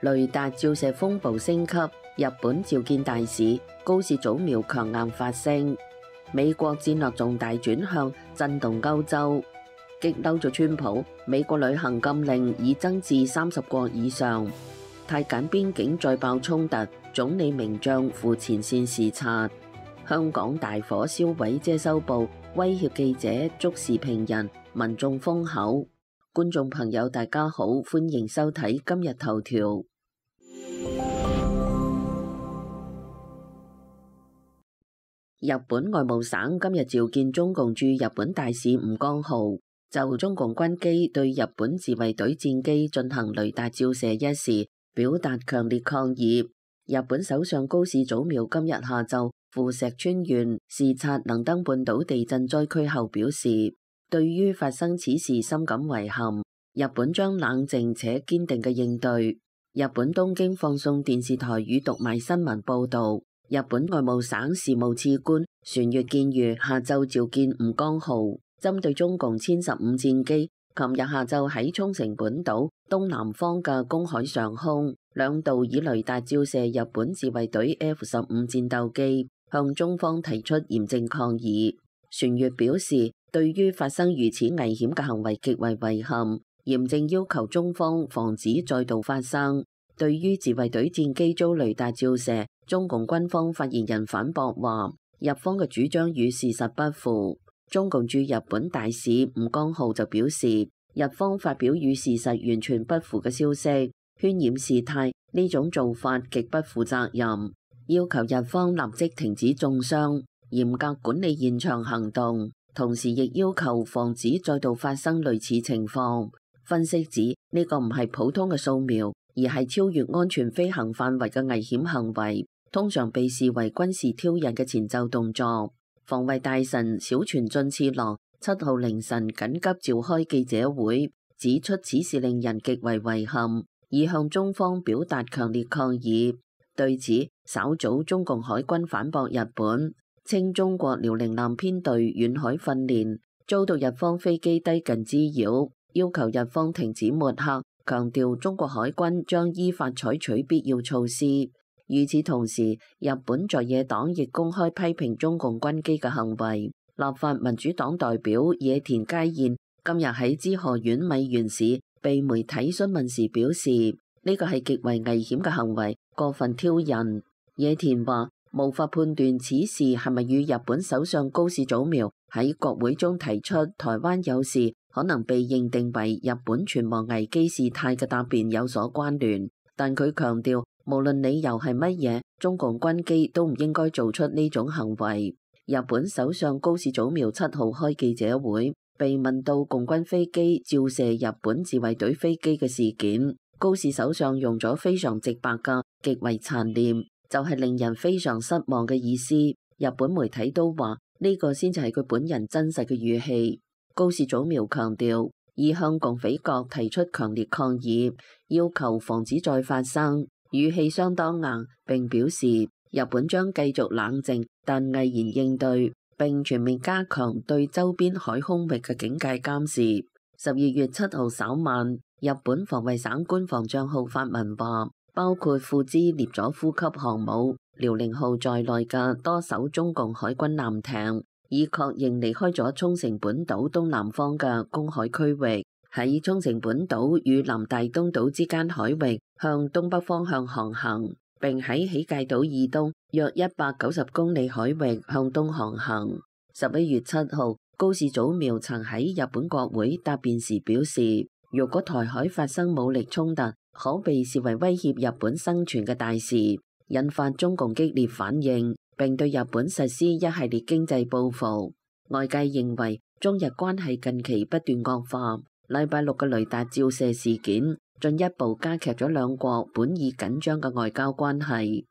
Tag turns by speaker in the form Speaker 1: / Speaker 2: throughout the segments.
Speaker 1: 雷達照射風暴升級，日本召見大使，高市早苗強硬發聲。美國戰略重大轉向，震動歐洲，激嬲咗川普。美國旅行禁令已增至30國以上。泰柬邊境再爆衝突，總理名將赴前線視察。香港大火燒毀遮羞布，威脅記者捉時評人，民眾封口。觀眾朋友大家好，歡迎收睇今日頭條。日本外務省今日召見中共駐日本大使吳江浩，就中共軍機對日本自衛隊戰機進行雷達照射一事表達強烈抗議。日本首相高市早苗今日下晝赴石川縣視察能登半島地震災區後表示，對於發生此事深感遺憾，日本將冷靜且堅定嘅應對。日本東京放送電視台與讀賣新聞報道，日本外務省事務次官船越健裕下晝召見吳江浩，針對中共殲15戰機琴日下晝喺沖繩本島東南方嘅公海上空兩度以雷達照射日本自衛隊 F-15戰鬥機，向中方提出嚴正抗議。船越表示，對於發生如此危險嘅行為極為遺憾，嚴正要求中方防止再度發生。對於自衛隊戰機遭雷達照射，中共軍方發言人反駁話，日方嘅主張與事實不符。中共駐日本大使吳江浩就表示，日方發表與事實完全不符嘅消息，渲染事態，呢種做法極不負責任，要求日方立即停止中傷，嚴格管理現場行動，同時亦要求防止再度發生類似情況。分析指呢個唔係普通嘅掃描，而係超越安全飛行範圍嘅危險行為，通常被視為軍事挑釁嘅前奏動作。防衛大臣小泉進次郎7號凌晨緊急召開記者會，指出此事令人極為遺憾，已向中方表達強烈抗議。對此，稍早中共海軍反駁日本，稱中國遼寧艦編隊遠海訓練遭到日方飛機低近滋擾，要求日方停止抹黑，強調中國海軍將依法採取必要措施。與此同時，日本在野黨亦公開批評中共軍機嘅行為。立法民主黨代表野田佳彥今日喺滋賀縣米原市被媒體詢問時表示，呢個係極為危險嘅行為，過分挑釁。野田話，無法判斷此事係咪與日本首相高市早苗喺國會中提出台灣有事可能被認定為日本存亡危機事態嘅答辯有所關聯，但佢強調，無論理由係乜嘢，中共軍機都唔應該做出呢種行為。日本首相高市早苗7號開記者會，被問到共軍飛機照射日本自衛隊飛機嘅事件，高市首相用咗非常直白嘅極為殘念，就係令人非常失望嘅意思。日本媒體都話呢個先至係佢本人真實嘅語氣。高市早苗強調，已向共匪國提出強烈抗議，要求防止再發生。語氣相當硬，並表示日本將繼續冷靜但毅然應對，並全面加強對周邊海空域嘅警戒監視。12月7號稍晚，日本防衛省官方帳號發文話，包括富茲涅佐夫級航母遼寧號在內嘅多艘中共海軍艦艇，已確認離開咗沖繩本島東南方嘅公海區域，喺沖繩本島與南大東島之間海域向東北方向航行，並喺喜界島以東約190公里海域向東航行。11月7號，高市早苗曾喺日本國會答辯時表示，如果台海發生武力衝突，可被視為威脅日本生存嘅大事，引發中共激烈反應，並對日本實施一系列經濟報復。外界認為中日關係近期不斷惡化，禮拜六嘅雷達照射事件進一步加劇咗兩國本已緊張嘅外交關係。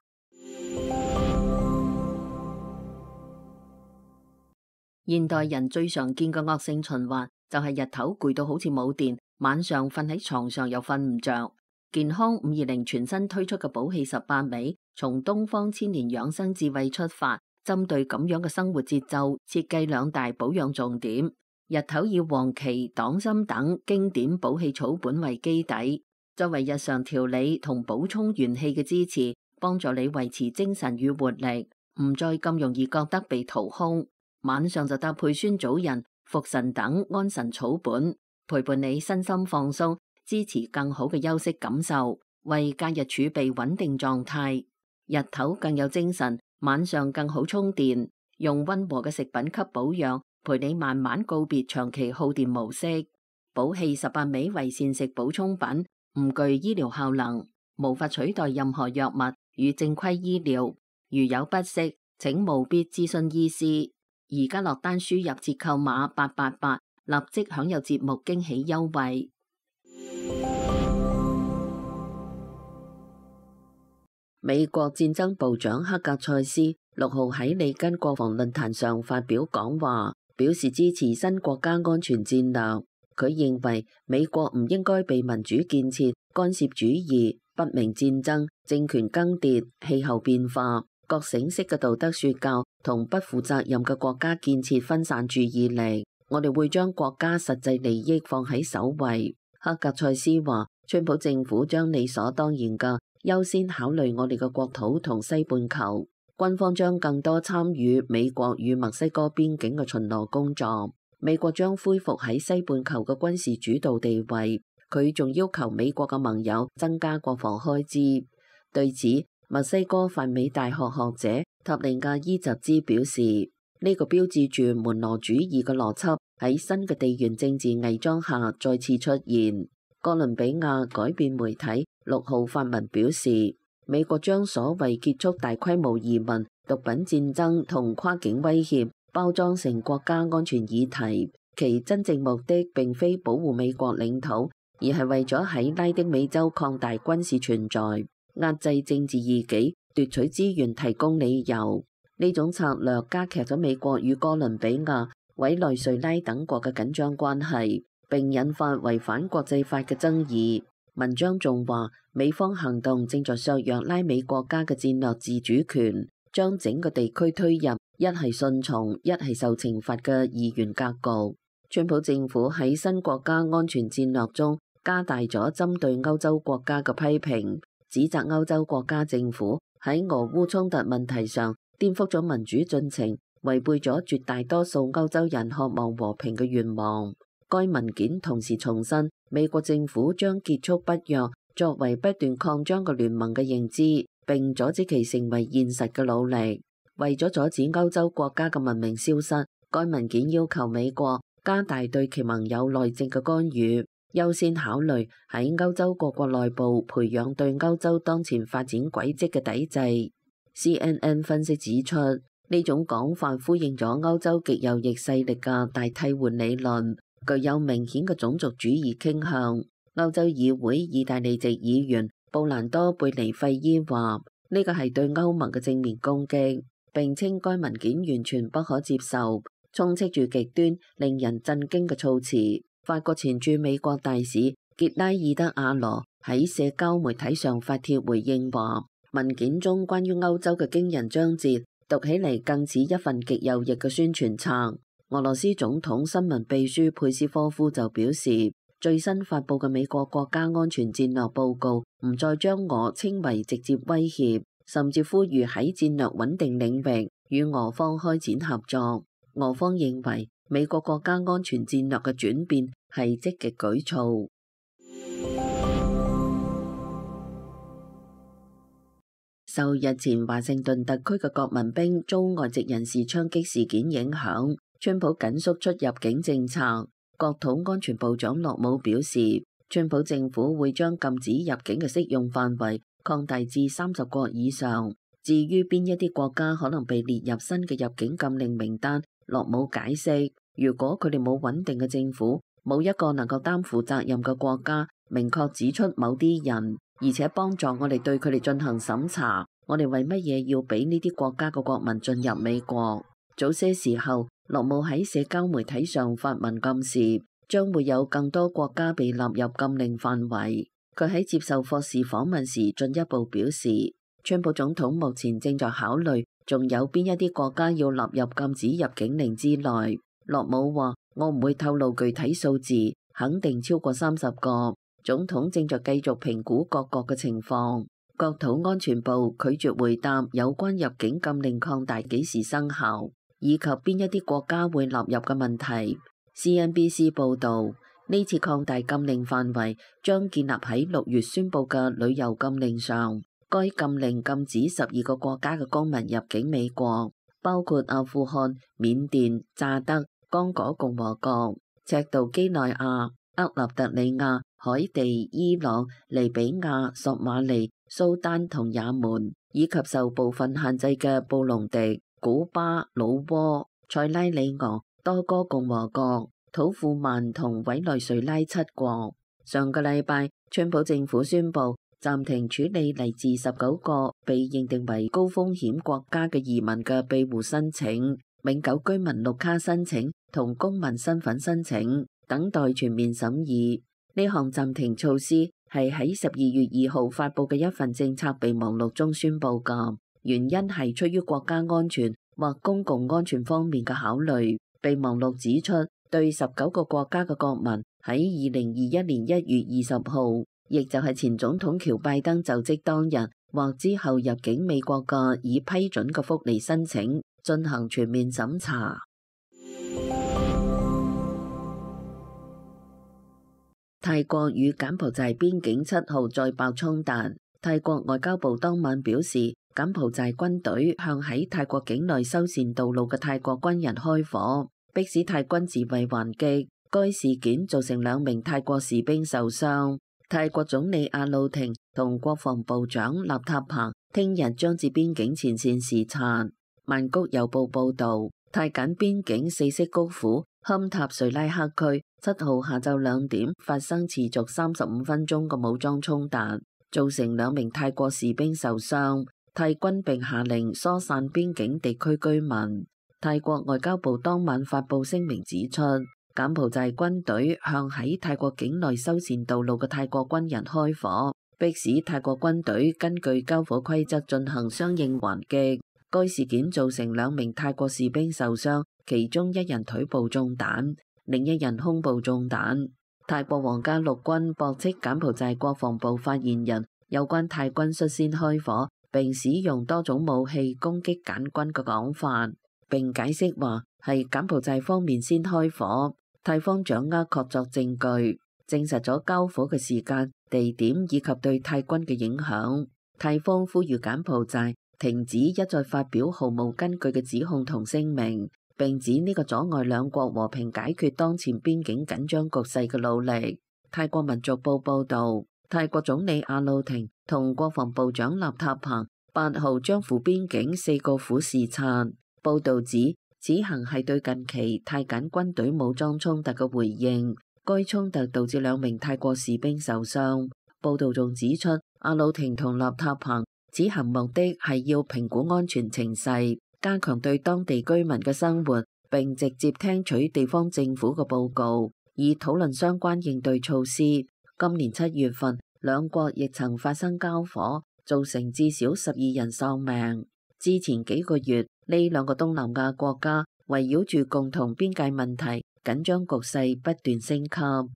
Speaker 1: 現代人最常見嘅惡性循環就係日頭攰到好似冇電，晚上瞓喺床上又瞓唔着。健康520全新推出嘅補氣18味，從東方千年養生智慧出發，針對咁樣嘅生活節奏，設計2大保養重點。日頭以黃芪、黨參等經典補氣草本為基底，作為日常調理同補充元氣嘅支持，幫助你維持精神與活力，唔再咁容易覺得被掏空。晚上就搭配酸棗仁、茯神等安神草本，陪伴你身心放鬆，支持更好嘅休息感受，為假日儲備穩定狀態。日頭更有精神，晚上更好充電。用溫和嘅食品給保養，陪你慢慢告別長期耗電模式。寶氣18味為膳食補充品，唔具醫療效能，無法取代任何藥物與正規醫療。如有不適，請務必諮詢醫師。而家落單輸入折扣碼888，立即享有節目驚喜優惠。美國戰爭部長克格塞斯6號喺里根國防論壇上發表講話，表示支持新國家安全戰略。佢認為美國唔應該被民主建設、干涉主義、不明戰爭、政權更迭、氣候變化、覺醒式嘅道德說教同不負責任嘅國家建設分散注意力。我哋會將國家實際利益放喺首位。克格塞斯話，川普政府將理所當然嘅優先考慮我哋嘅國土同西半球，軍方將更多參與美國與墨西哥邊境嘅巡邏工作。美國將恢復喺西半球嘅軍事主導地位。佢仲要求美國嘅盟友增加國防開支。對此，墨西哥泛美大學學者塔利亞伊什茲表示，呢個標誌住門羅主義嘅邏輯喺新嘅地緣政治偽裝下再次出現。哥倫比亞改變媒體6號發文表示，美國將所謂結束大規模移民、毒品戰爭同跨境威脅包裝成國家安全議題，其真正目的並非保護美國領土，而係為咗喺拉丁美洲擴大軍事存在，壓制政治異己，奪取資源提供理由。呢種策略加劇咗美國與哥倫比亞、委內瑞拉等國嘅緊張關係，並引發違反國際法嘅爭議。文章仲話，美方行動正在削弱拉美國家嘅戰略自主權，將整個地區推入一係順從，一係受懲罰嘅二元格局。川普政府喺新國家安全戰略中加大咗針對歐洲國家嘅批評，指責歐洲國家政府喺俄烏衝突問題上顛覆咗民主進程，違背咗絕大多數歐洲人渴望和平嘅願望。該文件同時重申，美國政府將結束北約作為不斷擴張嘅聯盟嘅認知，並阻止其成為現實嘅努力。為咗阻止歐洲國家嘅文明消失，該文件要求美國加大對其盟友內政嘅干預，優先考慮喺歐洲各國內部培養對歐洲當前發展軌跡嘅抵制。CNN 分析指出，呢種講法呼應咗歐洲極右翼勢力嘅大替換理論，具有明顯嘅種族主義傾向。歐洲議會意大利籍議員布蘭多貝尼費伊話，呢個係對歐盟嘅正面攻擊，並稱該文件完全不可接受，充斥住極端令人震驚嘅措辭。法國前駐美國大使傑拉爾德阿羅喺社交媒體上發帖回應話，文件中關於歐洲嘅驚人章節讀起嚟更似一份極右翼嘅宣傳冊。俄羅斯總統新聞秘書佩斯科夫就表示，最新發佈嘅美國國家安全戰略報告唔再將俄稱為直接威脅，甚至呼籲喺戰略穩定領域與俄方開展合作。俄方認為美國國家安全戰略嘅轉變係積極舉措。受日前華盛頓特區嘅國民兵遭外籍人士槍擊事件影響，川普緊縮出入境政策。國土安全部長洛姆表示，川普政府會將禁止入境嘅適用範圍擴大至30國以上。至於邊一啲國家可能被列入新嘅入境禁令名單，洛姆解釋，如果佢哋冇穩定嘅政府，冇一個能夠擔負責任嘅國家明確指出某啲人，而且幫助我哋對佢哋進行審查，我哋為乜嘢要俾呢啲國家嘅國民進入美國？早些時候，洛姆喺社交媒體上發文暗示，將會有更多國家被納入禁令範圍。佢喺接受霍士訪問時進一步表示，川普總統目前正在考慮，仲有邊一啲國家要納入禁止入境令之內。洛姆話：我唔會透露具體數字，肯定超過30個。總統正在繼續評估各國嘅情況。國土安全部拒絕回答有關入境禁令擴大幾時生效，以及邊一啲國家會納入嘅問題。CNBC 報導，呢次擴大禁令範圍將建立喺6月宣布嘅旅遊禁令上。該禁令禁止12個國家嘅公民入境美國，包括阿富汗、緬甸、乍得、剛果共和國、赤道幾內亞、厄立特里亞、海地、伊朗、利比亞、索馬利、蘇丹同也門，以及受部分限制嘅布隆迪、古巴、老撾、塞拉利昂、多哥共和國、土庫曼同委內瑞拉7國。上個禮拜，川普政府宣布暫停處理嚟自19個被認定為高風險國家嘅移民嘅庇護申請、永久居民綠卡申請同公民身份申請，等待全面審議。呢項暫停措施係喺12月2號發布嘅一份政策備忘錄中宣布㗎，原因係出於國家安全或公共安全方面嘅考慮。備忘錄指出，對19個國家嘅國民喺2021年1月20號，亦就係前總統喬拜登就職當日或之後入境美國嘅已批准嘅福利申請進行全面審查。泰國與柬埔寨邊境7號再爆衝突。泰國外交部當晚表示，柬埔寨軍隊向喺泰國境內修繕道路嘅泰國軍人開火，迫使泰軍自衛還擊。該事件造成2名泰國士兵受傷。泰國總理阿魯廷同國防部長納塔彭聽日將至邊境前線視察。曼谷郵報報導，泰柬邊境4色谷府堪塔瑞拉克區7號下晝2點發生持續35分鐘嘅武裝衝突，造成2名泰國士兵受傷。泰軍並下令疏散邊境地區居民。泰國外交部當晚發布聲明指出，柬埔寨軍隊向喺泰國境內修繕道路嘅泰國軍人開火，迫使泰國軍隊根據交火規則進行相應還擊。該事件造成2名泰國士兵受傷，其中1人腿部中彈，另1人胸部中彈。泰國皇家陸軍駁斥柬埔寨國防部發言人有關泰軍率先開火並使用多種武器攻擊柬軍嘅講法，並解釋話係柬埔寨方面先開火，泰方掌握確鑿證據，證實咗交火嘅時間、地點以及對泰軍嘅影響。泰方呼籲柬埔寨停止一再發表毫無根據嘅指控同聲明，並指呢個阻礙兩國和平解決當前邊境緊張局勢嘅努力。泰國民族報報導，泰國總理阿魯廷同國防部長納塔彭8號將赴邊境4個府視察。報導指，此行係對近期泰柬軍隊武裝衝突嘅回應。該衝突導致2名泰國士兵受傷。報導仲指出，阿魯廷同納塔彭此行目的係要評估安全情勢，加強對當地居民嘅生活，並直接聽取地方政府嘅報告，以討論相關應對措施。今年7月份，兩國亦曾發生交火，造成至少12人喪命。之前幾個月，呢2個東南亞國家圍繞住共同邊界問題，緊張局勢不斷升級。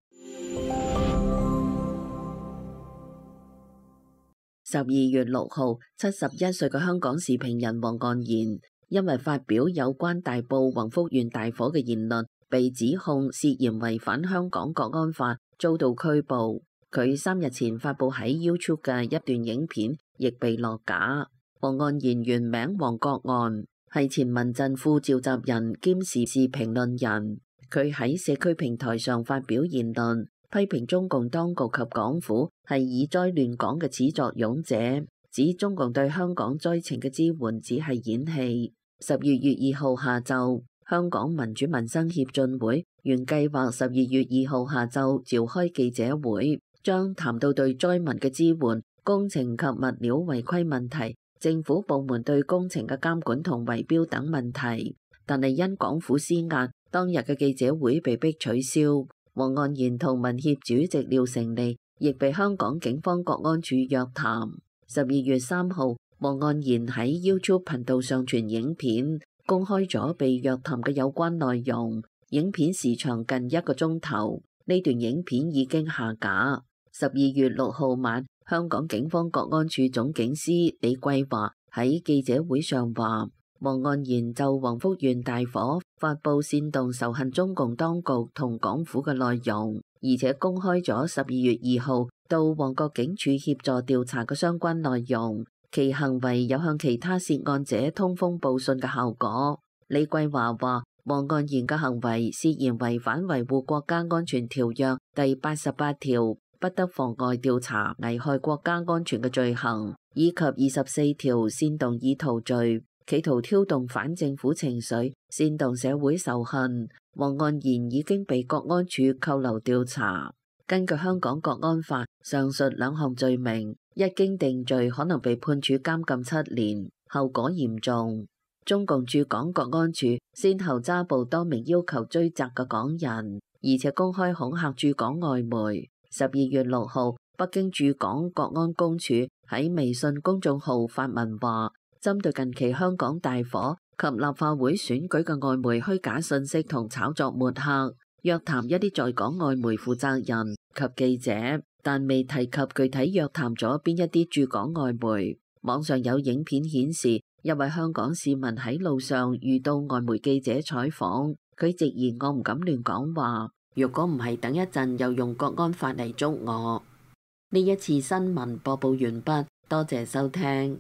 Speaker 1: 12月6號，71歲嘅香港時評人黃岸然因為發表有關大埔宏福苑大火嘅言論，被指控涉嫌違反香港國安法，遭到拘捕。佢3日前發布喺 YouTube 嘅一段影片，亦被落架。黃岸然原名黃國岸，係前民陣副召集人兼時事評論人。佢喺社區平台上發表言論，批評中共當局及港府係以災亂港嘅始作俑者，指中共對香港災情嘅支援只係演戲。12月2號下晝，香港民主民生協進會原計劃12月2號下晝召開記者會，將談到對災民嘅支援、工程及物料違規問題、政府部門對工程嘅監管同圍標等問題。但係因港府施壓，當日嘅記者會被迫取消。黃岸然同民協主席廖成利亦被香港警方國安處約談。12月3號，黃岸然喺 YouTube 頻道上傳影片，公開咗被約談嘅有關內容。影片時長近1個鐘頭，呢段影片已經下架。12月6號晚，香港警方國安處總警司李桂華喺記者會上話，黃岸然就黃福縣大火發布煽動仇恨中共當局同港府嘅內容，而且公開咗12月2號到旺角警署協助調查嘅相關內容，其行為有向其他涉案者通風報信嘅效果。李桂華話，黃岸然嘅行為涉嫌違反維護國家安全條約第88條，不得妨礙調查危害國家安全嘅罪行，以及24條煽動意圖罪，企圖挑動反政府情緒，煽動社會仇恨。黃岸然已經被國安處扣留調查。根據香港國安法，上述兩項罪名一經定罪，可能被判處監禁7年，後果嚴重。中共駐港國安處先後抓捕多名要求追責嘅港人，而且公開恐嚇駐港外媒。12月6號，北京駐港國安公署喺微信公眾號發文話，針對近期香港大火及立法會選舉嘅外媒虛假信息同炒作抹黑，約談一啲在港外媒負責人及記者，但未提及具體約談咗邊一啲駐港外媒。網上有影片顯示，一位香港市民喺路上遇到外媒記者採訪，佢直言，我唔敢亂講話，如果唔係等一陣又用國安法嚟捉我。呢一次新聞播報完畢，多謝收聽。